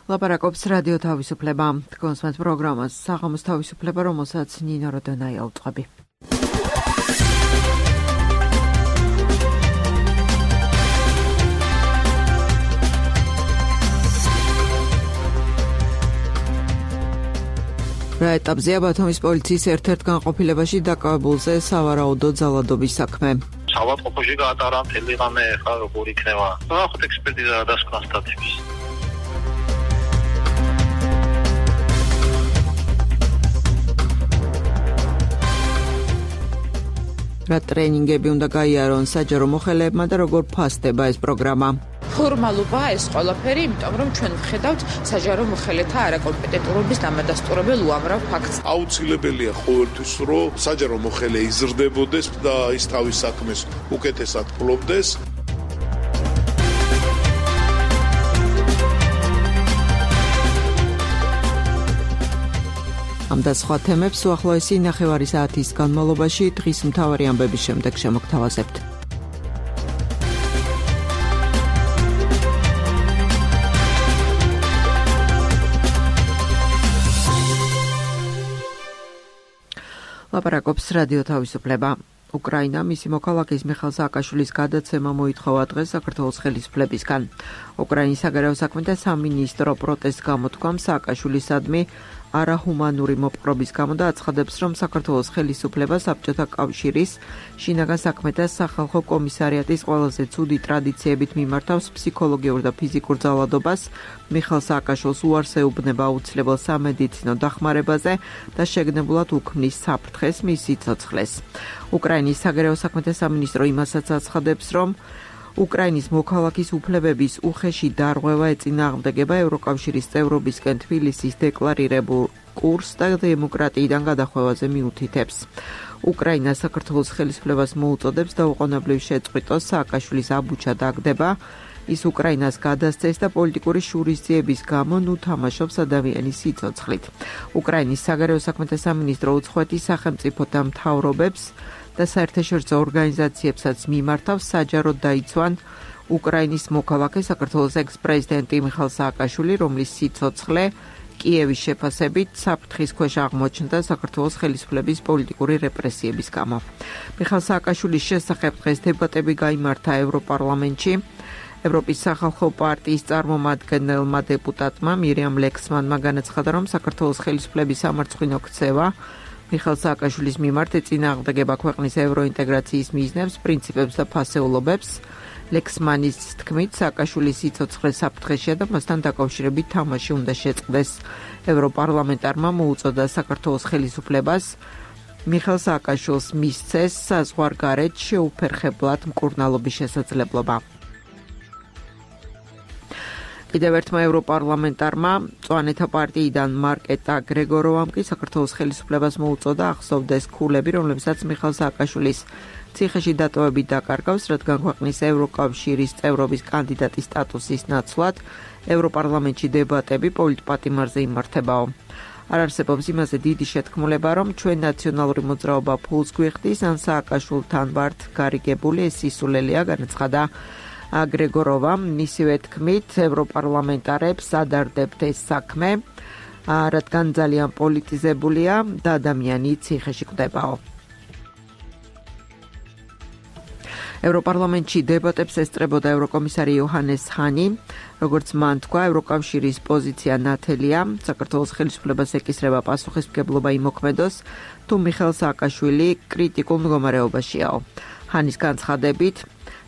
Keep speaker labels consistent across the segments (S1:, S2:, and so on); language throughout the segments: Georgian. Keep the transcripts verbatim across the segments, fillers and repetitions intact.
S1: ლაპარაკობს რადიო თავისუფლება. კონსმენთ პროგრამას საღამოს თავისუფლება, რომელსაც ნინო როდონაია უწყობი. რა ეტაპზეა ბათუმის პოლიციის ერთ-ერთ განყოფილებაში დაკავებულზე სავარაუდო ძალადობის საქმე?
S2: საავადმყოფოში გაატარა მთელი ღამე, ხა როგორ იქნება? ნახოთ ექსპერტიზა დასკვნა სტატიების. რა ტრენინგები უნდა გაიარონ საჯარო მოხელეებმა და როგორ ფასდება ეს პროგრამა?
S3: ფორმალობაა ეს ყველაფერი, იმიტომ რომ ჩვენ ვხედავთ საჯარო მოხელეთა არაკომპეტენტურობის დამადასტურებელ უამრავ ფაქტს.
S4: აუცილებელია ყოველთვის, რომ საჯარო მოხელე იზრდებოდეს და ის თავის საქმეს უკეთესად ფლობდეს.
S1: ამ და სხვა თემებს უახლოესი ნახევარი საათის განმავლობაში დღის მთავარი ამბების შემდეგ შემოგთავაზებთ. ლაპარაკობს რადიო თავისუფლება. უკრაინა მისი მოქალაქის მიხეილ სააკაშვილის გადაცემა მოითხოვა დღეს საქართველოს ხელისუფლებისგან. უკრაინის საგარეო საქმეთა სამინისტრო პროტესტს გამოთქვამს სააკაშვილისადმი არაჰუმანური მოპყრობის გამო და აცხადებს, რომ საქართველოს ხელისუფლება საბჭოთა კავშირის შინაგან საქმეთა სახალხო კომისარიატის ყველაზე ცუდი ტრადიციებით მიმართავს ფსიქოლოგიურ და ფიზიკურ ძალადობას, მიხეილ სააკაშვილს უარს ეუბნება აუცილებელ სამედიცინო დახმარებაზე და შეგნებულად უქმნის საფრთხეს მის სიცოცხლეს. უკრაინის საგარეო საქმეთა სამინისტრო იმასაც აცხადებს, რომ უკრაინის მოქალაქის უფლებების უხეში დარღვევა ეწინააღმდეგება ევროკავშირის წევრობისკენ თბილისის დეკლარირებულ კურსს და დემოკრატიიდან გადახვევაზე მიუთითებს. უკრაინა საქართველოს ხელისუფლებას მოუწოდებს დაუყოვნებლივ შეწყვიტოს სააკაშვილის აბუჩა დაგდება, ის უკრაინას გადასცეს და პოლიტიკური შურისძიების გამო ნუ თამაშობს ადამიანის სიცოცხლით. უკრაინის საგარეო საქმეთა სამინისტრო უცხოეთის სახელმწიფოთა მთავრობებს და საერთაშორისო ორგანიზაციებსაც მიმართავს საჯაროდ დაიცვან უკრაინის მოქალაქე საქართველოს ექს-პრეზიდენტი მიხეილ სააკაშვილი, რომლის სიცოცხლე კიევის შეფასებით საფრთხის ქვეშ აღმოჩნდა საქართველოს ხელისუფლების პოლიტიკური რეპრესიების გამო. მიხეილ სააკაშვილის შესახებ დღეს დებატები გაიმართა ევროპარლამენტში. ევროპის სახალხო პარტიის წარმომადგენელმა დეპუტატმა მირიამ ლექსმანმა განაცხადა, რომ საქართველოს ხელისუფლების სამარცხვინო ქცევა მიხეილ სააკაშვილის მიმართ ეწინააღმდეგება ქვეყნის ევროინტეგრაციის მიზნებს, პრინციპებს და ფასეულობებს. ლექსმანის თქმით, სააკაშვილის სიცოცხლე საფრთხეშია და მასთან დაკავშირებით თამაში უნდა შეწყდეს. ევროპარლამენტარმა მოუწოდა საქართველოს ხელისუფლებას მიხეილ სააკაშვილს მისცეს საზღვარგარეთ შეუფერხებლად მკურნალობის შესაძლებლობა. კიდევ ერთმა ევროპარლამენტარმა მწვანეთა პარტიიდან მარკეტა გრეგოროვამ კი საქართველოს ხელისუფლებას მოუწოდა ახსოვდეს ქულები, რომლებსაც მიხეილ სააკაშვილის ციხეში დატოვებით დაკარგავს, რადგან ქვეყნის ევროკავშირის წევრობის კანდიდატის სტატუსის ნაცვლად ევროპარლამენტში დებატები პოლიტპატიმარზე იმართებაო. არ არსებობს იმაზე დიდი შეთქმულება, რომ ჩვენ ნაციონალური მოძრაობა ფულს გვიხდის, ან სააკაშვილთან ვართ გარიგებული, ეს სისულელეა, განაცხადა გრეგოროვა. მისივე თქმით, ევროპარლამენტარებს ადარდებთ ეს საქმე, რადგან ძალიან პოლიტიზებულია და ადამიანი ციხეში კვდებაო. ევროპარლამენტში დებატებს ესწრებოდა ევროკომისარი იოჰანეს ჰანი. როგორც მან თქვა, ევროკავშირის პოზიცია ნათელია, საქართველოს ხელისუფლებას ეკისრება პასუხისმგებლობა იმოქმედოს, თუ მიხეილ სააკაშვილი კრიტიკულ მდგომარეობაშიაო. ჰანის განცხადებით,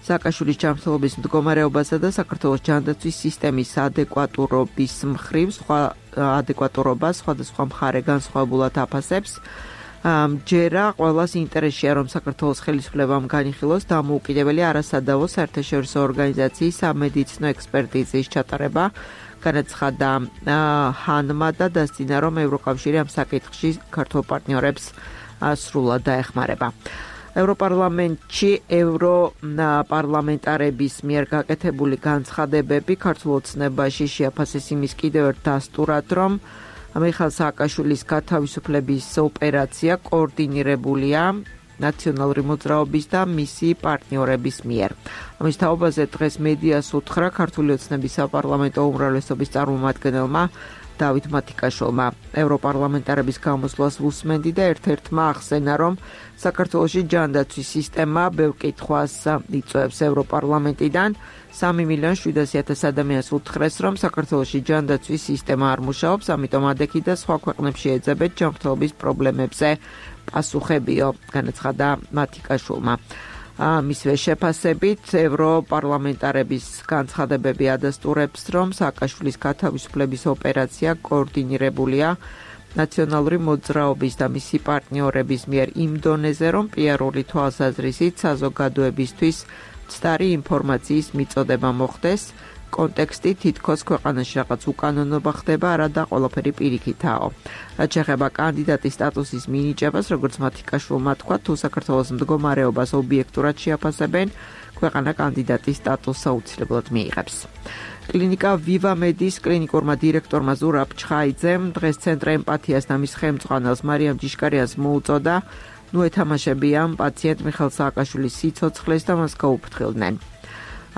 S1: სააკაშვილის ჯანმრთელობის მდგომარეობასა და საქართველოს ჯანდაცვის სისტემის ადეკვატურობის მხრივ სხვა ადეკვატურობა სხვადასხვა მხარე განსხვავებულად აფასებს. ჯერა ყველას ინტერესია, რომ საქართველოს ხელისუფლებამ განიხილოს დამოუკიდებელი არასადავო საერთაშორისო ორგანიზაციის სამედიცინო ექსპერტიზის ჩატარება, განაცხადა ჰანმა და დასძინა, რომ ევროკავშირი ამ საკითხში ქართულ პარტნიორებს სრულად დაეხმარება. ევროპარლამენტში ევროპარლამენტარების მიერ გაკეთებული განცხადებები ქართულ ოცნებაში შეაფასეს იმის კიდევ ერთ დასტურად, რომ მიხეილ სააკაშვილის გათავისუფლების ოპერაცია კოორდინირებულია ნაციონალური მოძრაობის და მისი პარტნიორების მიერ. ამის თაობაზე დღეს მედიას უთხრა ქართული ოცნების საპარლამენტო უმრავლესობის წარმომადგენელმა დავით მათიკაშვილმა. ევროპარლამენტარების გამოსვლას უსმენდი და ერთ-ერთმა ახსენა, რომ საქართველოში ჯანდაცვის სისტემა ბევრ კითხვას იწვევს. ევროპარლამენტიდან სამი მილიონი შვიდასი ათასი ადამიანს უთხრეს, რომ საქართველოში ჯანდაცვის სისტემა არ მუშაობს, ამიტომ ადექი და სხვა ქვეყნებში ეძებეთ ჯანმრთელობის პრობლემებზე პასუხებიო, განაცხადა მათიკაშვილმა. მისვე შეფასებით ევროპარლამენტარების განცხადებები ადასტურებს, რომ სააკაშვილის გათავისუფლების ოპერაცია კოორდინირებულია ნაციონალური მოძრაობის და მისი პარტნიორების მიერ იმ დონეზე, რომ პიარული თვალსაზრისით საზოგადოებისთვის მცდარი ინფორმაციის მიწოდება მოხდეს, კონტექსტი თითქოს ქვეყანაში რაღაც უკანონობა ხდება, არა და ყველაფერი პირიქითაო. რაც შეეხება კანდიდატის სტატუსის მინიჭებას, როგორც მათიკაშვილმა თქვა, თუ საქართველოს მდგომარეობას ობიექტურად შეაფასებენ, ქვეყანა კანდიდატის სტატუსს აუცილებლად მიიღებს. კლინიკა ვივამედის კლინიკურმა დირექტორმა ზურაბ ჩხაიძემ დღეს ცენტრ ემპათიას და მის ხელმძღვანელს მარიამ ჯიშკარიანს მოუწოდა, ნუ ეთამაშებიან პაციენტ მიხეილ სააკაშვილის სიცოცხლეს და მას გაუფრთხილდნენ.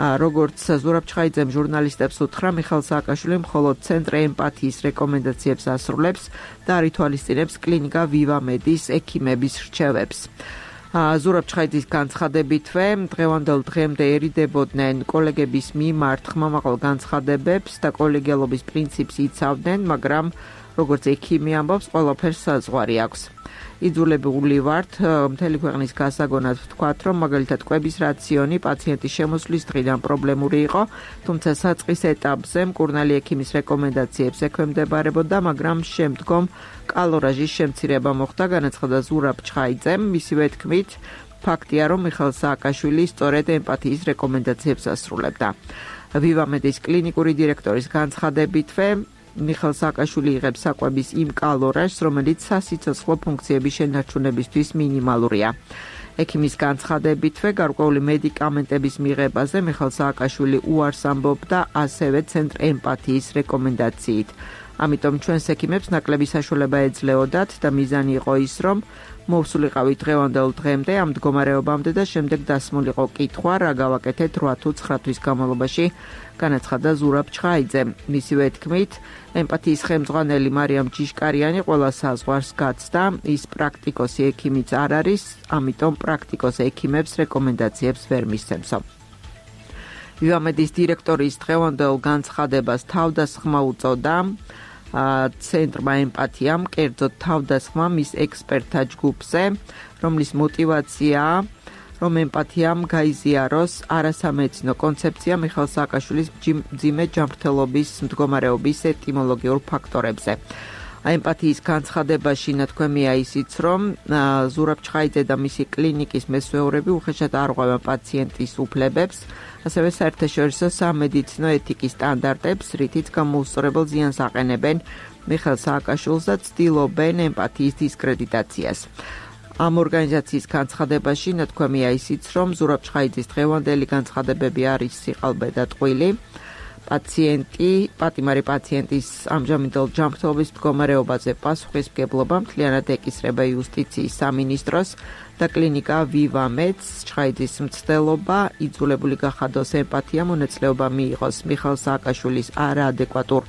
S1: როგორც ზურაბ ჩხაიძემ ჟურნალისტებს უთხრა, მიხეილ სააკაშვილი მხოლოდ ცენტრ ემპათიის რეკომენდაციებს ასრულებს და არ ითვალისწინებს კლინიკა ვივამედის ექიმების რჩევებს. ზურაბ ჩხაიძის განცხადებითვე დღევანდელ დღემდე ერიდებოდნენ კოლეგების მიმართ ხმამაღალ განცხადებებს და კოლეგიალობის პრინციპს იცავდნენ, მაგრამ როგორც ექიმი ამბობს, ყველაფერს საზღვარი აქვს. იძულებული ვართ მთელი ქვეყნის გასაგონად ვთქვათ, რომ მაგალითად კვების რაციონი პაციენტის შემოსვლის დღიდან პრობლემური იყო, თუმცა საწყის ეტაპზე მკურნალი ექიმის რეკომენდაციებს ექვემდებარებოდა, მაგრამ შემდგომ კალორაჟის შემცირება მოხდა, განაცხადა ზურაბ ჩხაიძემ. მისივე თქმით, ფაქტია, რომ მიხეილ სააკაშვილი სწორედ ემპათიის რეკომენდაციებს ასრულებდა. ვივამედის კლინიკური დირექტორის განცხადებითვე მიხეილ სააკაშვილი იღებს საკვების იმ კალორაჟს, რომელიც სასიცოცხლო ფუნქციების შენარჩუნებისთვის მინიმალურია. ექიმის განცხადებითვე გარკვეული მედიკამენტების მიღებაზე მიხეილ სააკაშვილი უარს ამბობდა ასევე ცენტრ ემპათიის რეკომენდაციით. ამიტომ ჩვენს ექიმებს ნაკლები საშუალება ეძლეოდათ და მიზანი იყო ის, რომ მოვსულიყავით დღევანდელ დღემდე ამ მდგომარეობამდე და შემდეგ დასმულიყო კითხვა, რა გავაკეთეთ რვა თუ ცხრა თვის განმავლობაში, განაცხადა ზურაბ ჩხაიძემ. მისივე თქმით, ემპათიის ხელმძღვანელი მარიამ ჯიშკარიანი ყველა საზღვარს გაცდა, ის პრაქტიკოსი ექიმიც არ არის, ამიტომ პრაქტიკოს ექიმებს რეკომენდაციებს ვერ მისცემსო. ვივამედის დირექტორის დღევანდელ განცხადებას თავდასხმა უწოდა ცენტრმა ემპათიამ, კერძოდ თავდასხმა მის ექსპერტთა ჯგუფზე, რომლის მოტივაციაა, რომ ემპათიამ გაიზიაროს არასამედიცინო კონცეფცია მიხეილ სააკაშვილის მძიმე ჯანმრთელობის მდგომარეობის ეტიმოლოგიურ ფაქტორებზე. ემპათიის განცხადებაში ნათქვამია ისიც, რომ ზურაბ ჩხაიძე და მისი კლინიკის მესვეურები უხეშად არღვევენ პაციენტის უფლებებს, ასევე საერთაშორისო სამედიცინო ეთიკის სტანდარტებს, რითიც გამოუსწორებელ ზიანს აყენებენ მიხეილ სააკაშვილს და ცდილობენ ემპათიის დისკრედიტაციას. ამ ორგანიზაციის განცხადებაში ნათქვამია ისიც, რომ ზურაბ ჩხაიძის დღევანდელი განცხადებები არის სიყალბე და ტყვილი. პაციენტი, პატიმარი პაციენტის ამჟამინდელ ჯანმრთელობის მდგომარეობაზე პასუხისმგებლობა მთლიანად ეკისრება იუსტიციის სამინისტროს და კლინიკა ვივამედს. ჩხაიძის მცდელობა იძულებული გახადოს ემპათია მონაწილეობა მიიღოს მიხეილ სააკაშვილის არაადეკვატურ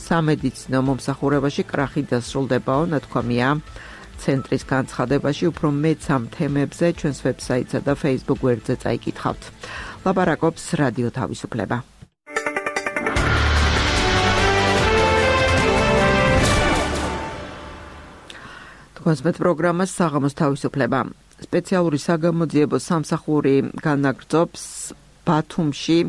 S1: სამედიცინო მომსახურებაში კრახი დასრულდებაო, ნათქვამია ცენტრის განცხადებაში. უფრო მეც ამ თემებზე ჩვენს ვებსაიტსა და Facebook გვერდზე წაიკითხავთ. ლაპარაკობს რადიო თავისუფლება. თქვენს პროგრამას საღამოს თავისუფლება. სპეციალური საგამოძიებო სამსახური განაგრძობს ბათუმში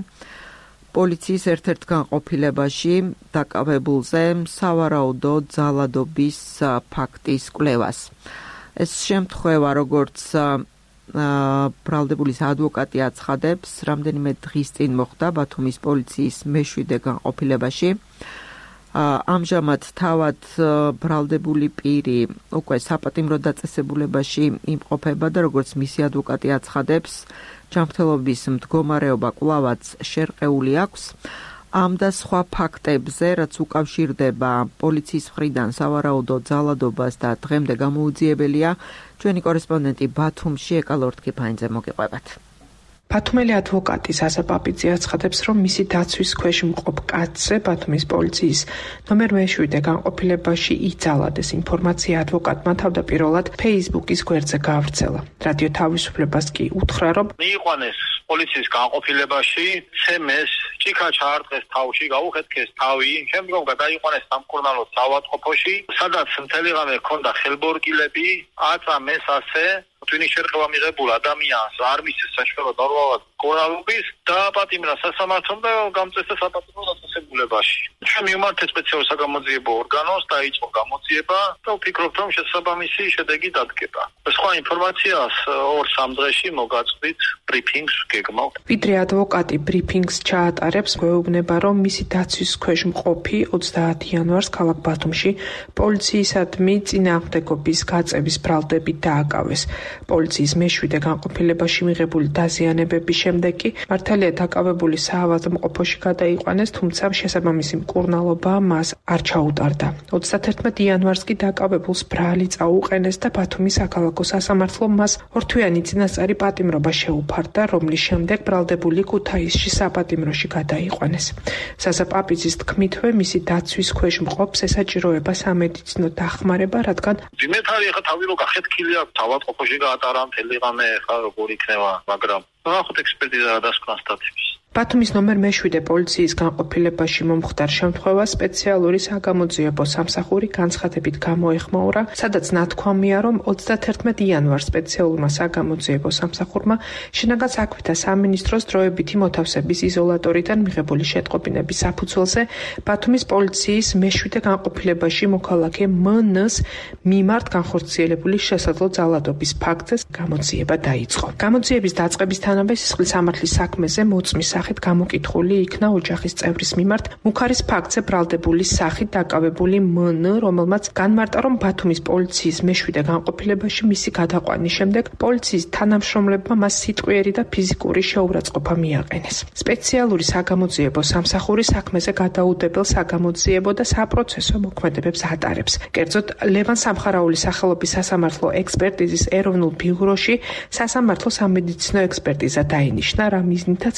S1: პოლიციის ერთ-ერთ განყოფილებაში დაკავებულზე სავარაუდო ძალადობის ფაქტის კვლევას. ეს შემთხვევა, როგორც ბრალდებულის ადვოკატი აცხადებს, რამდენიმე დღის წინ მოხდა ბათუმის პოლიციის მეშვიდე განყოფილებაში. ამჟამად თავად ბრალდებული პირი უკვე საპატიმრო დაწესებულებაში იმყოფება და როგორც მისი ადვოკატი აცხადებს, ჯანმრთელობის მდგომარეობა კვლავაც შერყეული აქვს. ამ და სხვა ფაქტებზე, რაც უკავშირდება პოლიციის მხრიდან სავარაუდო ძალადობას და დღემდე გამოუძიებელია, ჩვენი კორესპონდენტი ბათუმში ეკალორთქიფაინძე მოგიყვებათ.
S5: ბათუმელი ადვოკატი ზაზა პაპიძე აცხადებს, რომ მისი დაცვის ქვეშ მყოფ კაცზე ბათუმის პოლიციის ნომერ მეშვიდე განყოფილებაში იძალადეს ინფორმაცია ადვოკატმა თავდაპირველად Facebook-ის გვერდზე გაავრცელა. რადიო თავისუფლებას კი უთხრა, რომ
S6: მიიყვანეს პოლიციის განყოფილებაში, ცემეს, ჭიქა ჩაარტყეს თავში, გაუხეთქეს თავი, შემდგომ გადაიყვანეს სამკურნალო საავადმყოფოში, სადაც მთელი ღამე ჰქონდა ხელბორკილები, აწამეს ასე ტვინის შერყევა მიღებულ ადამიანს არ მისცეს საშუალო ნორმალურად კორალობის და პატიმრა სასამართლომ და გამწესდა საპატიმრო დაწესებულებაში. ჩვენ მივმართეთ სპეციალურ საგამოძიებო ორგანოს, დაიწყო გამოძიება და ვფიქრობთ, რომ შესაბამისი შედეგი დადგება. სხვა ინფორმაციას ორ-სამ დღეში მოგაწვით ბრიფინგს გეგმავთ.
S5: ვიდრე ადვოკატი ბრიფინგს ჩაატარებს, გვეუბნება, რომ მისი დაცვის ქვეშ მყოფი ოცდაათი იანვარს ქალაქ ბათუმში პოლიციისადმი წინააღმდეგობის გაწევის ბრალდებით დააკავეს. პოლიციის მეშვიდე განყოფილებაში მიღებული დაზიანებების შემდეგ კი მართალია დაკავებული საავადმყოფოში გადაიყვანეს, თუმცა შესაბამისი მკურნალობა მას არ ჩაუტარდა. ოცდაათი იანვარს კი დაკავებულს ბრალი წაუყენეს და ბათუმის საქალაქო სასამართლომ მას ორთვიანი წინასწარი პატიმრობა შეუფარდა, რომლის შემდეგ ბრალდებული ქუთაისში საპატიმროში გადაიყვანეს. ზაზა პაპიძის თქმითვე, მისი დაცვის ქვეშ მყოფს ესაჭიროება სამედიცინო დახმარება, რადგან
S6: ძიმეთარი ახლა თავი რო გახეთქილი აქვს საავადმყოფოში გაატარა მთელი ღამე, ხა როგორ იქნება, მაგრამ ნახოთ ექსპერტიზა რა დასკვნა სტატიის.
S5: ბათუმის ნომერ მეშვიდე პოლიციის განყოფილებაში მომხდარ შემთხვევას სპეციალური საგამოძიებო სამსახური განცხადებით გამოეხმაურა, სადაც ნათქვამია, რომ ოცდაათი იანვარს სპეციალურმა საგამოძიებო სამსახურმა შინაგან საქმეთა სამინისტროს დროებითი მოთავსების იზოლატორიდან მიღებული შეტყობინების საფუძველზე ბათუმის პოლიციის მეშვიდე განყოფილებაში მოქალაქე მნ-ს მიმართ განხორციელებული შესაძლო ძალადობის ფაქტზე გამოძიება დაიწყო. გამოძიების დაწყებისთანავე სისხლის სამართლის საქმეზე მოწმის სახით გამოკითხული იქნა ოჯახის წევრის მიმართ მუქარის ფაქტზე ბრალდებული სახით დაკავებული მნ, რომელმაც განმარტა, რომ ბათუმის პოლიციის მეშვიდე განყოფილებაში მისი გადაყვანის შემდეგ პოლიციის თანამშრომლებმა მას სიტყვიერი და ფიზიკური შეურაცხყოფა მიაყენეს. სპეციალური საგამოძიებო სამსახური საქმეზე გადაუდებელ საგამოძიებო და საპროცესო მოქმედებებს ატარებს. კერძოდ, ლევან სამხარაულის სახელობის სასამართლო ექსპერტიზის ეროვნულ ბიუროში სასამართლო სამედიცინო ექსპერტიზა დაინიშნა, რა მიზნითაც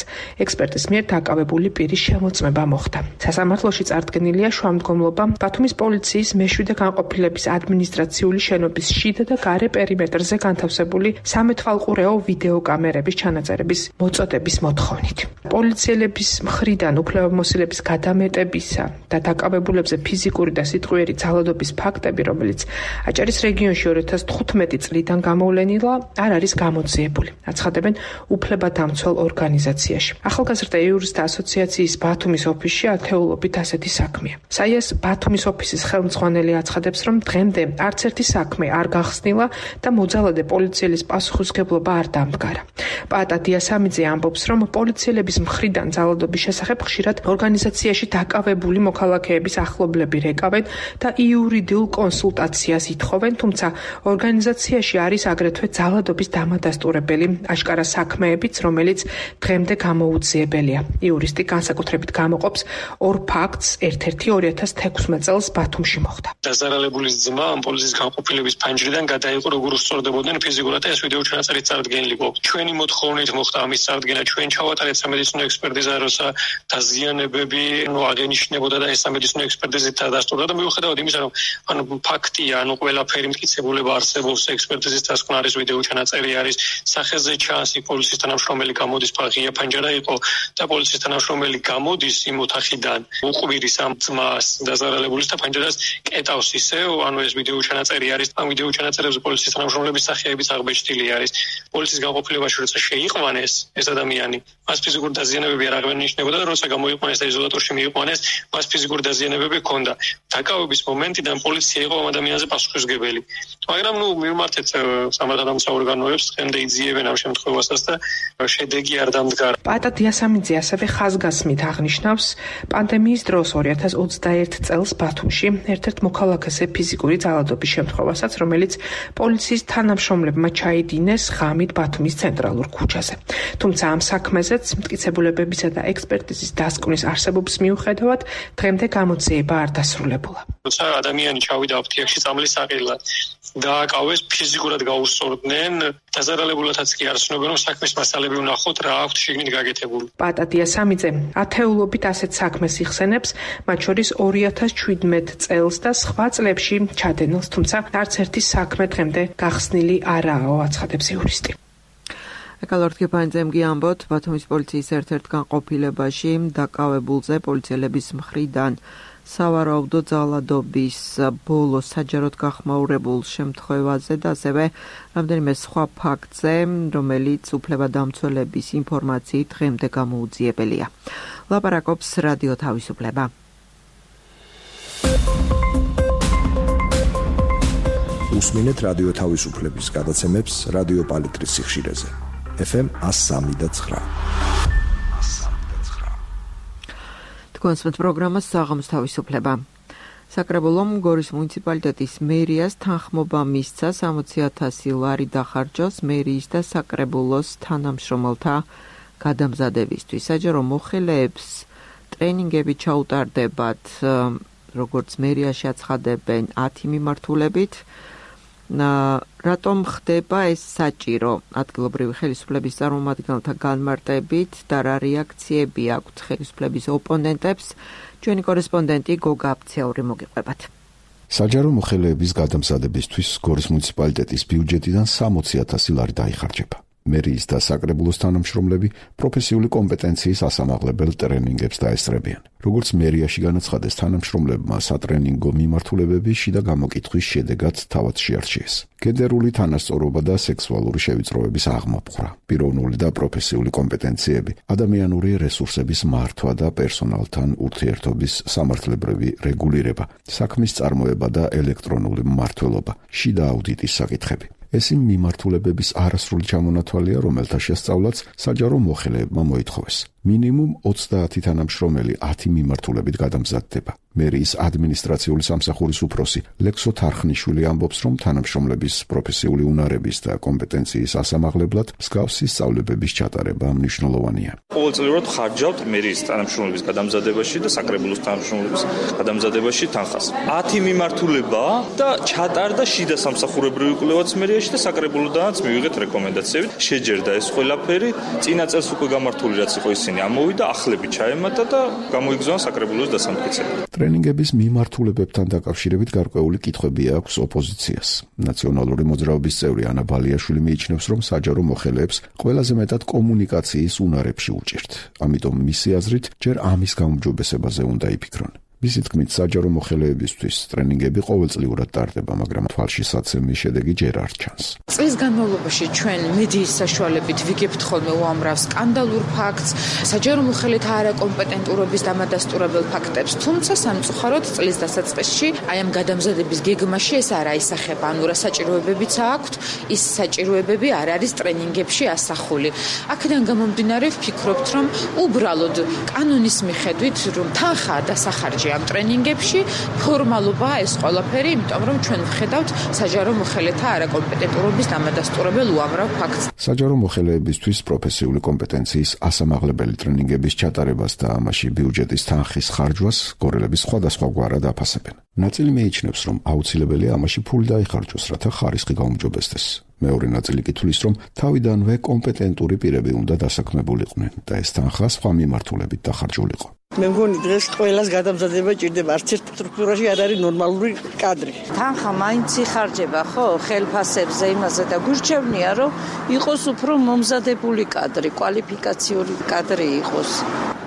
S5: ექსპერტის მიერ დაკავებული პირის შემოწმება მოხდა. სასამართლოში წარდგენილია შუამდგომლობა ბათუმის პოლიციის მეშვიდე განყოფილების ადმინისტრაციული შენობის შიდა და გარე პერიმეტრზე განთავსებული სამეთვალყურეო ვიდეოკამერების ჩანაწერების მოწოდების მოთხოვნით. პოლიციელების მხრიდან უფლებამოსილების გადამეტებისა და დაკავებულებზე ფიზიკური და სიტყვიერი ძალადობის ფაქტები, რომელიც აჭარის რეგიონში ორი ათას თხუთმეტი წლიდან გამოვლენილა, არ არის გამოძიებული. აცხადებენ უფლებადამცველ ორგანიზაციაში. ახალგაზრდა იურისტთა ასოციაციის ბათუმის ოფისში ათეულობით ასეთი საქმეა. საიას ბათუმის ოფისის ხელმძღვანელი აცხადებს, რომ დღემდე არც ერთი საქმე არ გახსნილა და მოძალადე პოლიციელის პასუხისმგებლობა არ დამდგარა. პაატა დიასამიძე ამბობს, რომ პოლიციელების მხრიდან ძალადობის შესახებ ხშირად ორგანიზაციაში დაკავებული მოქალაქეების ახლობლები რეკავენ და იურიდიულ კონსულტაციას ითხოვენ, თუმცა ორგანიზაციაში არის აგრეთვე ძალადობის დამადასტურებელი აშკარა საქმეებიც, რომელიც დღემდე გამოუძიებელია. იურისტი განსაკუთრებით გამოყოფს ორ ფაქტს, ერთ-ერთი ორი ათას თექვსმეტ წელს ბათუმში მოხდა.
S7: დაზარალებულის ძმა ამ პოლიციის განყოფილების ფანჯრიდან გადაიყო, როგორ უსწორდებოდნენ ფიზიკურად და ეს ვიდეო ჩანაწერით წარდგენილი გვაქვს. ჩვენი მოთხოვნით მოხდა ამის წარდგენა, ჩვენ ჩავატარეთ სამედიცინო ექსპერტიზა, როცა დაზიანებები ნუ აღენიშნებოდა და ეს სამედიცინო ექსპერტიზით დასტურდა და მიუხედავად იმისა, რომ ანუ ფაქტია, ანუ ყველაფერი მტკიცებულება არსებობს, ექსპერტიზის დასკვნა არის, ვიდეო ჩანაწერი არის, სახეზე ჩანს პოლიციის თანამშრომელი გამოდის, ღია ფანჯარა იყო და პოლიციის თანამშრომელი გამოდის იმ ოთახიდან, უყვირის ამ ძმას დაზარალებულის და ფანჯარას კეტავს ისევ, ანუ ეს ვიდეო ჩანაწერი არის, ამ ვიდეო ჩანაწერებზე პოლიციის თანამშრომლების სახეებიც აღბეჭდილი არის. პოლიციის განყოფილებაში როცა შეიყვანეს ეს ადამიანი, მას ფიზიკური დაზიანებები არ აღენიშნებოდა და როცა გამოიყვანეს და იზოლატორში მიიყვანეს, მას ფიზიკური დაზიანებები ჰქონდა. დაკავების მომენტიდან პოლიცია იყო ამ ადამიანზე პასუხისმგებელი. მაგრამ ნუ მივმართეთ სამართალდამცავ ორგანოებს, დღემდე იძიებენ ამ შემთხვევასაც და შედეგი არ დამდგარა.
S5: პაატა დიასამიძე ასევე ხაზგასმით აღნიშნავს, პანდემიის დროს ორი ათას ოცდაერთ წელს ბათუმში ერთ-ერთ მოქალაქეზე ფიზიკური ძალადობის შემთხვევასაც, რომელიც პოლიციის თანამშრომლებმა ჩაიდინეს ღამით ბათუმის ცენტრალურ ქუჩაზე. თუმცა ამ საქმეზეც მტკიცებულებებისა და ექსპერტიზის დასკვნის არსებობის მიუხედავად დღემდე გამოძიება არ დასრულებულა.
S7: როცა ადამიანი ჩავიდა აფთიაქში წამლის საყიდლად, დააკავეს, ფიზიკურად გაუსწორდნენ, დაზარალებულათაც კი არ ცნობენ, რომ საქმის მასალები ვნახოთ, რა აქვთ შიგნით გაკეთებული.
S5: პატა დიასამიძე ათეულობით ასეთ საქმეს იხსენებს, მათ შორის ორი ათას ჩვიდმეტ წელს და სხვა წლებში ჩადენილს, თუმცა არც ერთი საქმე დღემდე გახსნილი არაა, აცხადებს იურისტი.
S1: ეკალორთკიფანძემ გიამბოთ, ბათუმის პოლიციის ერთ-ერთ განყოფილებაში დაკავებულზე პოლიციელების მხრიდან სავარაუდო ძალადობის ბოლო საჯაროდ გახმაურებულ შემთხვევაზე და ასევე რამდენიმე სხვა ფაქტზე, რომელიც უფლებადამცველების ინფორმაციით დღემდე გამოუძიებელია. ლაპარაკობს რადიო თავისუფლება.
S8: უსმინეთ რადიო თავისუფლების გადაცემებს რადიო პალიტრის სიხშირეზე. ეფ ემ one oh three point nine.
S1: კონსპეტ პროგრამას საღამოს თავისუფლება. საკრებულომ გორის მუნიციპალიტეტის მერიას თანხმობა მისცა სამოცი ათასი ლარი დახარჯოს მერიის და საკრებულოს თანამშრომელთა გადამზადებისთვის. საჯარო მოხელეებს ტრენინგები ჩაუტარდებათ, როგორც მერიაში აცხადებენ ათი მიმართულებით. რატომ ხდება ეს საჭირო? ადგილობრივი ხელისუფლების წარმომადგენელთა განმარტებით და რა რეაქციები აქვთ ხელისუფლების ოპონენტებს, ჩვენი კორესპონდენტი გოგა აფციური მოგიყვებათ.
S8: საჯარო მოხელეების გადამზადებისთვის გორის მუნიციპალიტეტის ბიუჯეტიდან სამოცი ათასი ლარი დაიხარჯება. მერიის და საკრებულოს თანამშრომლები პროფესიული კომპეტენციის ასამაღლებელ ტრენინგებს დაესწრებიან. როგორც მერიაში განაცხადეს, თანამშრომლებმა სატრენინგო მიმართულებები შიდა გამოკითხვის შედეგად თავად შეარჩიეს. გენდერული თანასწორობა და სექსუალური შევიწროების აღმოფხვრა, პიროვნული და პროფესიული კომპეტენციები, ადამიანური რესურსების მართვა და პერსონალთან ურთიერთობის სამართლებრივი რეგულირება, საქმის წარმოება და ელექტრონული მმართველობა, შიდა აუდიტის საკითხები. ეს იმ მიმართულებების არასრული ჩამონათვალია, რომელთა შესწავლაც საჯარო მოხელეებმა მოითხოვეს. მინიმუმ ოცდაათი თანამშრომელი ათი მიმართულებით გადამზადდება. მერიის ადმინისტრაციული სამსახურის უფროსი ლექსო თარხნიშვილი ამბობს, რომ თანამშრომლების პროფესიული უნარების და კომპეტენციის ასამაღლებლად მსგავსი სწავლებების ჩატარება მნიშვნელოვანია.
S9: ყოველწლიურად ხარჯავთ მერიის თანამშრომლების გადამზადებაში და საკრებულოს თანამშრომლების გადამზადებაში თანხას. ათი მიმართულება და ჩატარდა შიდა სამსახურებრივი კვლევაც მერიაში და საკრებულოდანაც მივიღეთ რეკომენდაციები. შეჯერდა ეს ყველაფერი, წინა წელს უკვე გამართული რაც იყო ისინი ამოვიდა, ახლები ჩაემატა და გამოიგზავნა საკრებულოს დასამტკიცებლად.
S8: ტრენინგების მიმართულებებთან დაკავშირებით გარკვეული კითხვები აქვს ოპოზიციას. ნაციონალური მოძრაობის წევრი ანა ბალიაშვილი მიიჩნევს, რომ საჯარო მოხელეებს ყველაზე მეტად კომუნიკაციის უნარებში უჭირთ. ამიტომ მისი აზრით, ჯერ ამის გაუმჯობესებაზე უნდა იფიქრონ. მისი თქმით, საჯარო მოხელეებისთვის ტრენინგები ყოველწლიურად ტარდება, მაგრამ თვალშისაცემი შედეგი ჯერ არ ჩანს.
S3: წლის განმავლობაში ჩვენ მედიის საშუალებით ვიგებთ ხოლმე უამრავ სკანდალურ ფაქტს, საჯარო მოხელეთა არაკომპეტენტურობის დამადასტურებელ ფაქტებს, თუმცა სამწუხაროდ წლის დასაწყისში აი ამ გადამზადების გეგმაში ეს არ აისახება, ანუ რა საჭიროებებიც აქვთ, ის საჭიროებები არ არის ტრენინგებში ასახული. აქედან გამომდინარე ვფიქრობთ, რომ უბრალოდ კანონის მიხედვით, რომ თანხაა დასახარჯი ამ ტრენინგებში, ფორმალობაა ეს ყველაფერი, იმიტომ რომ ჩვენ ვხედავთ საჯარო მოხელეთა არაკომპეტენტურობის დამადასტურებელ უამრავ ფაქტს.
S8: საჯარო მოხელეებისთვის პროფესიული კომპეტენციის ასამაღლებელი ტრენინგების ჩატარებას და ამაში ბიუჯეტის თანხის ხარჯვას გორელების სხვადასხვაგვარად აფასებენ. ნაწილი მიიჩნევს, რომ აუცილებელია ამაში ფული დაიხარჯოს, რათა ხარისხი გაუმჯობესდეს. მეორე ნაწილი კი თვლის, რომ თავიდანვე კომპეტენტური პირები უნდა დასაქმებულიყვნენ და ეს თანხა სხვა მიმართულებით დახარჯულიყო.
S10: მე მგონი დღეს ყველას გადამზადება ჭირდება, არც ერთ სტრუქტურაში არ არის ნორმალური კადრი.
S11: თანხა მაინც იხარჯება, ხო, ხელფასებზე იმაზე და გურჩევნია, რომ იყოს უფრო მომზადებული კადრი, კვალიფიკაციური კადრი იყოს.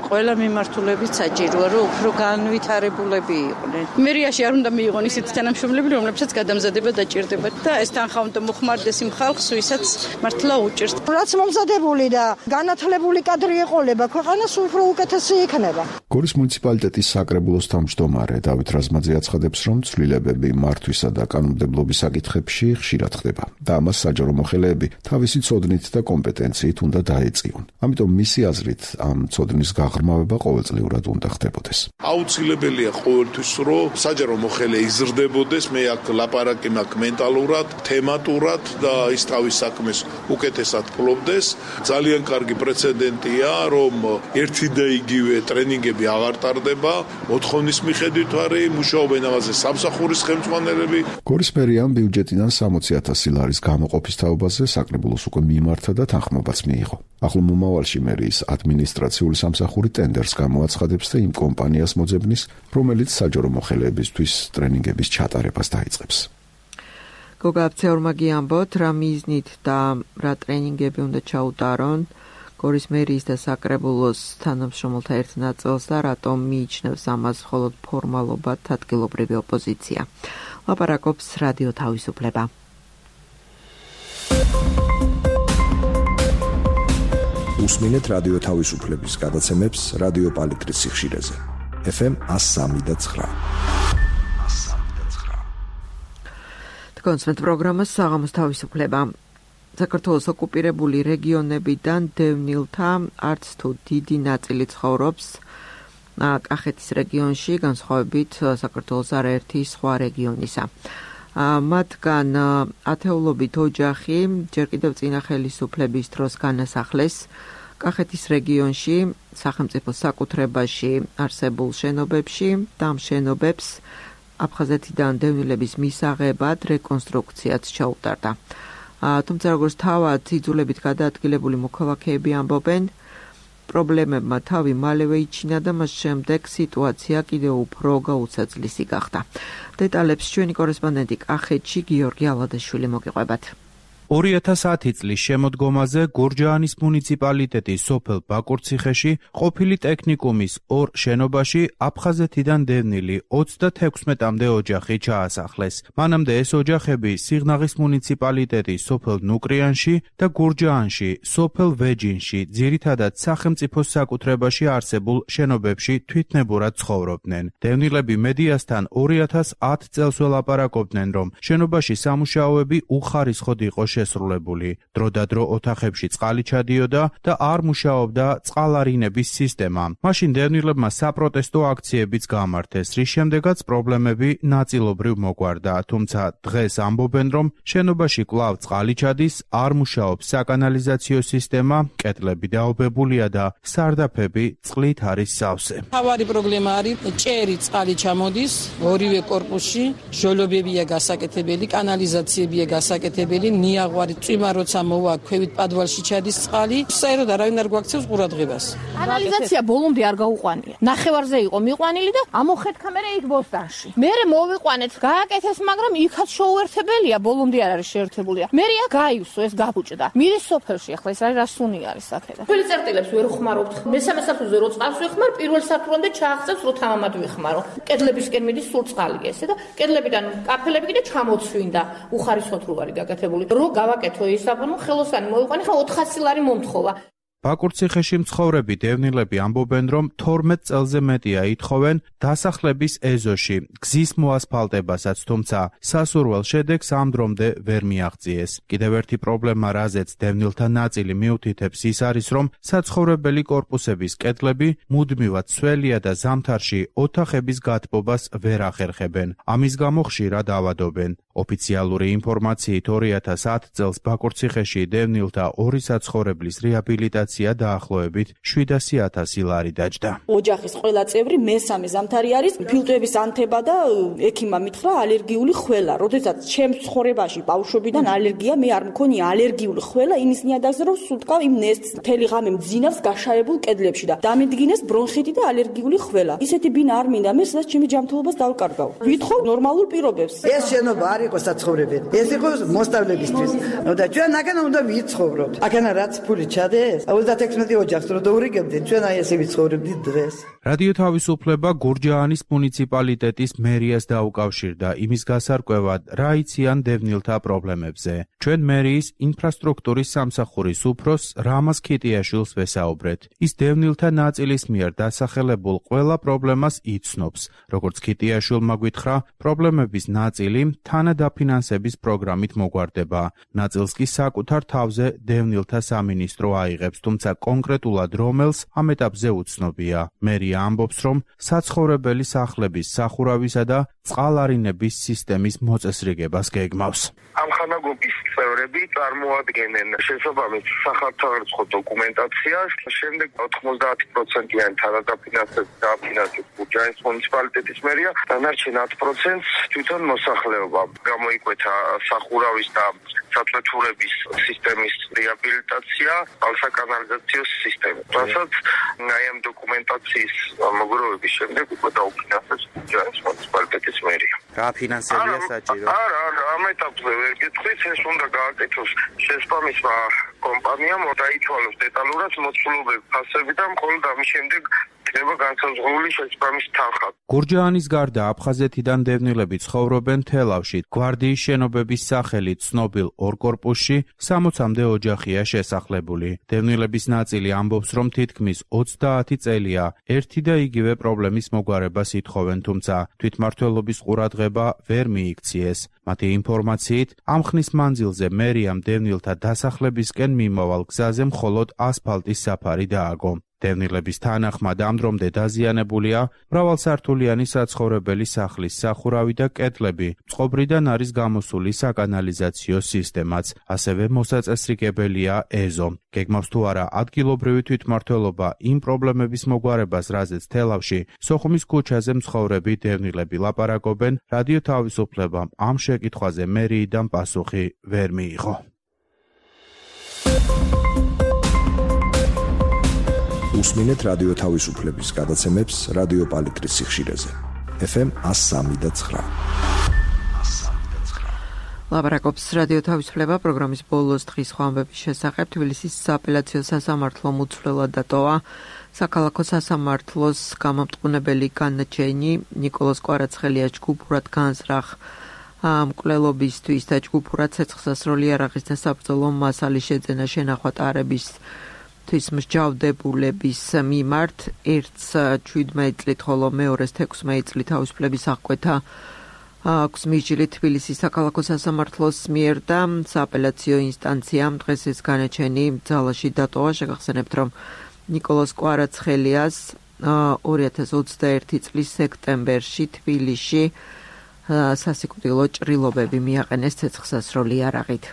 S11: ყველა მიმართულებით საჭიროა, რომ უფრო განვითარებულები იყვნენ.
S12: მერიაში არ უნდა მიიღონ ისეთი თანამშრომლები, რომლებსაც გადამზადება დაჭირდება და ეს თანხა უნდა მოხმარდეს იმ ხალხს, ვისაც მართლა უჭირს.
S13: რაც მომზადებული და განათლებული კადრი ეყოლება, ქვეყანას უფრო უკეთესი იქნება.
S8: გორის მუნიციპალიტეტის საკრებულოს თავმჯდომარე დავით რაზმაძე აცხადებს, რომ ცვლილებები მართვისა და კანონმდებლობის საკითხებში ხშირად ხდება და ამას საჯარო მოხელეები თავისი ცოდნით და კომპეტენციით უნდა დაეწიონ. ამიტომ მისი აზრით ამ ცოდნის გაღრმავება ყოველწლიურად უნდა ხდებოდეს.
S4: აუცილებელია ყოველთვის, რომ საჯარო მოხელე იზრდებოდეს, მე აქ ლაპარაკი მაქვს მენტალურად, თემატურად და ის თავის საქმეს უკეთესად ფლობდეს. ძალიან კარგი პრეცედენტია, რომ ერთი და იგივე ტრენინგები აღარ ტარდება, მოთხოვნის მიხედვით არის, მუშაობენ ამაზე სამსახურის ხელმძღვანელები.
S8: გორის მერიამ ბიუჯეტიდან სამოცი ათასი ლარის გამოყოფის თაობაზე საკრებულოს უკვე მიმართა და თანხმობაც მიიღო. ახლო მომავალში მერიის ადმინისტრაციული სამსახური ტენდერს გამოაცხადებს და იმ კომპანიას მოძებნის, რომელიც საჯარო მოხელეებისთვის ტრენინგების ჩატარებას დაიწყებს.
S1: გოგა აფცეორმა გიამბოთ, რა მიზნით და რა ტრენინგები უნდა ჩაუტარონ გორის მერიის და საკრებულოს თანამშრომელთა ერთ ნაწილს და რატომ მიიჩნევს ამას მხოლოდ ფორმალობად ადგილობრივი ოპოზიცია. ლაპარაკობს რადიო თავისუფლება.
S14: უსმინეთ რადიო თავისუფლების გადაცემებს რადიო პალიტრის სიხშირეზე. ეფ ემ one oh three point nine.
S1: კონსმეთ პროგრამას საღამოს თავისუფლება. საქართველოს ოკუპირებული რეგიონებიდან დევნილთა არც თუ დიდი ნაწილი ცხოვრობს კახეთის რეგიონში, განსხვავებით საქართველოს არაერთი სხვა რეგიონისა. მათგან ათეულობით ოჯახი ჯერ კიდევ წინა ხელისუფლების დროს განასახლეს კახეთის რეგიონში, სახელმწიფო საკუთრებაში არსებულ შენობებში და ამ შენობებს აფხაზეთიდან დევნილების მისაღებად რეკონსტრუქციაც ჩაუტარდა. თუმცა როგორც თავად იძულებით გადაადგილებული მოქალაქეები ამბობენ, პრობლემებმა თავი მალევე იჩინა და მას შემდეგ სიტუაცია კიდევ უფრო გაუცაძლისი გახდა. დეტალებს ჩვენი კორესპონდენტი კახეთში გიორგი ალადაშვილი მოგიყვებათ.
S15: ორი ათას ათი წლის შემოდგომაზე გურჯაანის მუნიციპალიტეტის სოფელ ბაკურციხეში ყოფილი ტექნიკუმის ორ შენობაში აფხაზეთიდან დევნილი ოცდათექვსმეტამდე ოჯახი ჩაასახლეს. მანამდე ეს ოჯახები სიღნაღის მუნიციპალიტეტის სოფელ ნუკრიანში და გურჯაანში, სოფელ ვეჯინში, ძირითადად სახელმწიფოს საკუთრებაში არსებულ შენობებში თვითნებურად ცხოვრობდნენ. დევნილები მედიასთან ორი ათას ათ წელს ველაპარაკობდნენ, რომ შენობაში სამუშაოები უხარისხოდ იყო შესრულებული. დროდადრო ოთახებში წყალი ჩადიოდა და არ მუშაობდა წყალარინების სისტემა. მაშინ დევნილებმა საპროტესტო აქციებიც გამართეს, რის შემდეგაც პრობლემები ნაწილობრივ მოგვარდა, თუმცა დღეს ამბობენ, რომ შენობაში კვლავ წყალი ჩადის, არ მუშაობს საკანალიზაციო სისტემა, კედლები დაობებულია და სარდაფები წყლით არის სავსე.
S12: თავარი პრობლემა არის ჭერი წყალი ჩამოდის ორივე კორპუსში, ჟოლობებია გასაკეთებელი, კანალიზაციებია გასაკეთებელი, ნიაღვარი წვიმა როცა მოვა ქვევით პადვალში ჩადის წყალი, საერთოდ არავინ არ გვაქცევს ყურადღებას.
S16: კანალიზაცია ბოლომდე არ გაუყვანია. ნახევარზე იყო მიყვანილი და ამოხეთქა მერე იქ ბოსტანში. მერე მოვიყვანეთ, გააკეთეს, მაგრამ იქაც შეუერთებელია, ბოლომდე არ არის შეერთებულია. მერე აქ გაივსო, ეს გაბუჭდა. მირის სოფელში ახლა ეს არის რასუნი არის აქედა.
S17: ფელი წერტილებს ვერ ხმარობთ. მესამე სართულზე რო წყალს ვიხმარ, პირველ სართულამდე ჩააღწევს, რო თამამად ვიხმარო. კედლებისკენ მიდის სულ წყალი ესე და კედლებიდან კაფელები კიდე ჩამოცვინდა. უხარისხოდ რო არის გაკეთებული. რო გავაკეთო ისაბუნო ხელოსანი მოიყვანე, ხა ოთხასი ლარი მომთხოვა.
S15: ბაკურციხეში მცხოვრები დევნილები ამბობენ, რომ თორმეტ წელზე მეტია ითხოვენ დასახლების ეზოში გზის მოასფალტებასაც, თუმცა სასურველ შედეგს ამ დრომდე ვერ მიაღწიეს. კიდევ ერთი პრობლემა, რაზეც დევნილთა ნაწილი მიუთითებს, ის არის, რომ საცხოვრებელი კორპუსების კედლები მუდმივად სველია და ზამთარში ოთახების გათბობას ვერ ახერხებენ. ამის გამო ხშირად ავადობენ. ოფიციალური ინფორმაციით ორი ათას ათ წელს ბაკურციხეში დევნილთა ორი საცხოვრებლის რეაბილიტაცია დაახლოებით შვიდასი ათასი ლარი დაჯდა.
S18: ოჯახის ყველა წევრი მესამე ზამთარი არის ფილტვების ანთება და ექიმმა მითხრა ალერგიული ხველა. როდესაც ჩემს ცხოვრებაში ბავშვობიდან ალერგია, მე არ მქონია ალერგიული ხველა, იმის ნიადაგზე რომ სულ თქვა იმ ნესტს მთელი ღამე მძინავს გაშაებულ კედლებში და დამედგინეს ბრონხიტი და ალერგიული ხველა. ისეთი ბინა არ მინდა მე, სადაც ჩემი ჯანმრთელობას დავკარგავ. ვითხოვ ნორმალურ პირობებს.
S10: ეს შენობა არის
S19: იყოს საცხოვრებელი. ეს იყო მოსწავლებისთვის. და ჩვენ აქან უნდა ვიცხოვროთ. აქან რაც ფული ჩადეს, ოცდათექვსმეტი ოჯახს რო დაურიგებდნენ, ჩვენ აი ესე ვიცხოვრებდით დღეს.
S15: რადიო თავისუფლება გურჯაანის მუნიციპალიტეტის მერიას დაუკავშირდა იმის გასარკვევად, რა იციან დევნილთა პრობლემებზე. ჩვენ მერიის ინფრასტრუქტურის სამსახურის უფროს რამაზ ქიტიაშვილს ვესაუბრეთ. ის დევნილთა ნაწილის მიერ დასახელებულ ყველა პრობლემას იცნობს. როგორც ქიტიაშვილმა გითხრა, პრობლემების ნაწილი თანადაფინანსების პროგრამით მოგვარდება. ნაწილს კი საკუთარ თავზე დევნილთა სამინისტრო აიღებს, თუმცა კონკრეტულად რომელს ამ ეტაპზე უცნობია. მერია ამბობს, რომ საცხოვრებელი სახლების სახურავისა და წყალარინების სისტემის მოწესრიგებას გეგმავს.
S20: ამ ხანაგობის წევრები წარმოადგენენ შესაბამის სახალხო დოკუმენტაციას, შემდეგ ოთხმოცდაათი პროცენტიან თანადაფინანსებს დააფინანსებს გურჯაანის მუნიციპალიტეტის მერია, დანარჩენ ათი პროცენტს თვითონ მოსახლეობა. გამოიკვეთა სახურავის და საწვეთურების სისტემის რეაბილიტაცია, ალსაკანალიზაციო სისტემა. რასაც აი ამ დოკუმენტაციის მოგროვების შემდეგ უკვე დაუფინანსებს გურჯაანის მუნიციპალიტეტის მერია.
S21: რა ფინანსებია საჭირო?
S20: არა, არა, ამ ეტაპზე ვერ გეტყვით, ეს უნდა გააკეთოს შესაბამისმა კომპანიამ, დაითვალოს დეტალურად მოცულობები, ფასები და მხოლოდ ამის შემდეგ იქნება განსაზღვრული შესაბამის თანხა.
S15: გურჯაანის გარდა აფხაზეთიდან დევნილები ცხოვრობენ თელავში. გვარდიის შენობების სახელით ცნობილ ორ კორპუსში სამოცამდე ოჯახია შესახლებული. დევნილების ნაწილი ამბობს, რომ თითქმის ოცდაათი წელია ერთი და იგივე პრობლემის მოგვარებას ითხოვენ, თუმცა თვითმმართველობის ყურადღება ვერ მიიქციეს. მათი ინფორმაციით, ამ ხნის მანძილზე მერიამ დევნილთა დასახლებისკენ მიმავალ გზაზე მხოლოდ ასფალტის საფარი დააგო. დევნილების თანახმად ამ დრომდე დაზიანებულია მრავალსართულიანი საცხოვრებელი სახლის სახურავი და კედლები, წყობრიდან არის გამოსული საკანალიზაციო სისტემაც, ასევე მოსაწესრიგებელია ეზო. გეგმავს თუ არა ადგილობრივი თვითმმართველობა იმ პრობლემების მოგვარებას, რაზეც თელავში, სოხუმის ქუჩაზე მცხოვრები დევნილები ლაპარაკობენ, რადიო თავისუფლებამ ამ შეკითხვაზე მერიიდან პასუხი ვერ მიიღო.
S14: უსმინეთ რადიო თავისუფლების გადაცემებს რადიო პალიტრის სიხშირეზე. ეფ ემ one oh three და nine.
S1: ლაპარაკობს რადიო თავისუფლება პროგრამის ბოლოს დღის ხვამბების შესახებ. თბილისის სააპელაციო სასამართლო მუცვლელად დატოვა საქალაქო სასამართლოს გამამტყუნებელი განაჩენი ნიკოლოზ კვარაცხელიას ჯგუფურად განზრახ მკვლელობისთვის და ჯგუფურად ცეცხლსასროლი იარაღის და საბრძოლო მასალის შეძენა შენახვა ტარების თვის მსჯავრდებულების მიმართ ერთს შვიდმეტი წლით, ხოლო მეორეს თექვსმეტი წლით თავისუფლების აღკვეთა აქვს მიჯილი თბილისის საქალაქო სასამართლოს მიერ და სააპელაციო ინსტანციამ დღეს ეს განაჩენი ძალაში დატოვა. შეგახსენებთ, რომ ნიკოლოზ კვარაცხელიას ორი ათას ოცდაერთი წლის სექტემბერში თბილისში სასიკვდილო ჭრილობები მიაყენეს ცეცხლსასროლი იარაღით.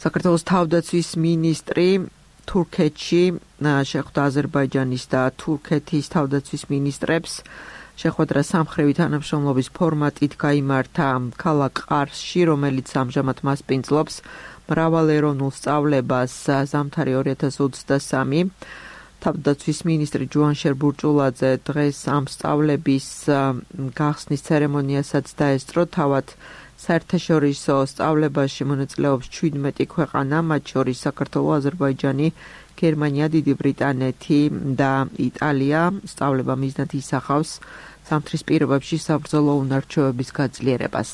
S1: საქართველოს თავდაცვის მინისტრი თურქეთში შეხვდა აზერბაიჯანის და თურქეთის თავდაცვის მინისტრებს. შეხვედრა სამხრივი თანამშრომლობის ფორმატით გაიმართა ქალაქ ყარსში, რომელიც ამჟამად მასპინძლობს მრავალეროვნულ სწავლებას ზამთარი ორი ათას ოცდასამი. თავდაცვის მინისტრი ჯუანშერ ბურჭულაძე დღეს ამ სწავლების გახსნის ცერემონიასაც დაესწრო. თავად საერთაშორისო სწავლებაში მონაწილეობს შვიდმეტი ქვეყანა, მათ შორის საქართველო, აზერბაიჯანი, გერმანია, დიდი ბრიტანეთი და იტალია. სწავლება მიზნად ისახავს ზამთრის პირობებში საბრძოლო უნარჩვევების გაძლიერებას.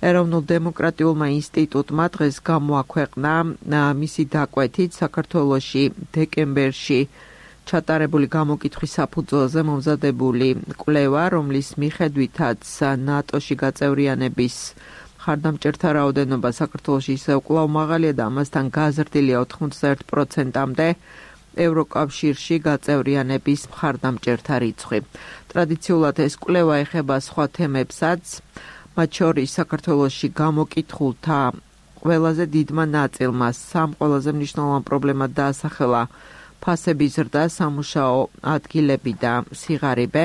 S1: ეროვნულ დემოკრატიულმა ინსტიტუტმა დღეს გამოაქვეყნა მისი დაკვეთით საქართველოში დეკემბერში ჩატარებული გამოკითხვის საფუძველზე მომზადებული კვლევა, რომლის მიხედვითაც ნატოში გაწევრიანების მხარდამჭერთა რაოდენობა საქართველოში ისევ კვლავ მაღალია და ამასთან გაზრდილია ოთხმოცდაერთ პროცენტამდე ევროკავშირში გაწევრიანების მხარდამჭერთა რიცხვი. ტრადიციულად ეს კვლევა ეხება სხვა თემებსაც, მათ შორის საქართველოში გამოკითხულთა ყველაზე დიდმა ნაწილმა სამ ყველაზე მნიშვნელოვან პრობლემად დაასახელა ფასების ზრდა, სამუშაო ადგილები და სიღარიბე.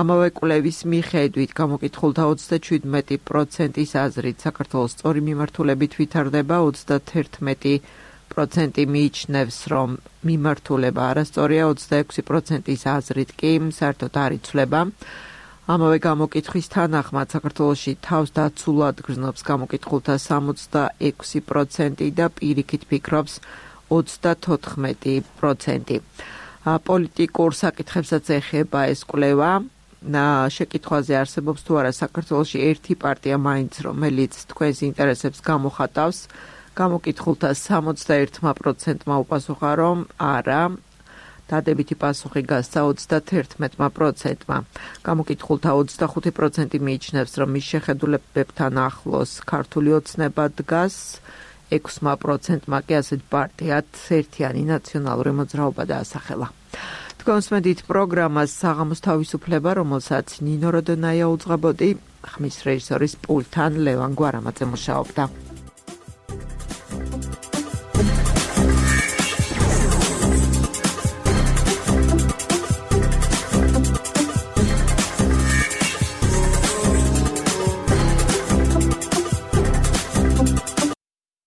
S1: ამავე კვლევის მიხედვით გამოკითხულთა ოცდაშვიდმეტი პროცენტის აზრით საქართველოს სწორი მიმართულებით ვითარდება, ოცდაათერთმეტი პროცენტი მიიჩნევს, რომ მიმართულება არასწორია, ოცდაექვსი პროცენტის აზრით კი საერთოდ არ იცვლება. ამავე გამოკითხვის თანახმად საქართველოში თავს დაცულად გრძნობს გამოკითხულთა სამოცდაექვსი პროცენტი და პირიქით ფიქრობს ოცდათოთხმეტი პროცენტი. პოლიტიკურ საკითხებსაც ეხება ეს კვლევა. შეკითხვაზე არსებობს თუ არა საქართველოში ერთი პარტია მაინც, რომელიც თქვენს ინტერესებს გამოხატავს. გამოკითხულთა სამოცდაერთმა პროცენტმა უპასუხა, რომ არა. დადებითი პასუხი გასცა ოცდათერთმეტმა პროცენტმა. გამოკითხულთა ოცდახუთი პროცენტი მიიჩნევს, რომ მის შეხედულებებთან ახლოს ქართული ოცნება დგას. ექვსმა პროცენტმა კი ასეთ პარტიად ერთიანი ნაციონალური მოძრაობა დაასახელა. თქვენს მედით პროგრამას საღამოს თავისუფლება, რომელსაც ნინო როდონაია უძღვებოდი, ხმის რეჟისორის პულტთან ლევან გვარამაძე მუშაობდა.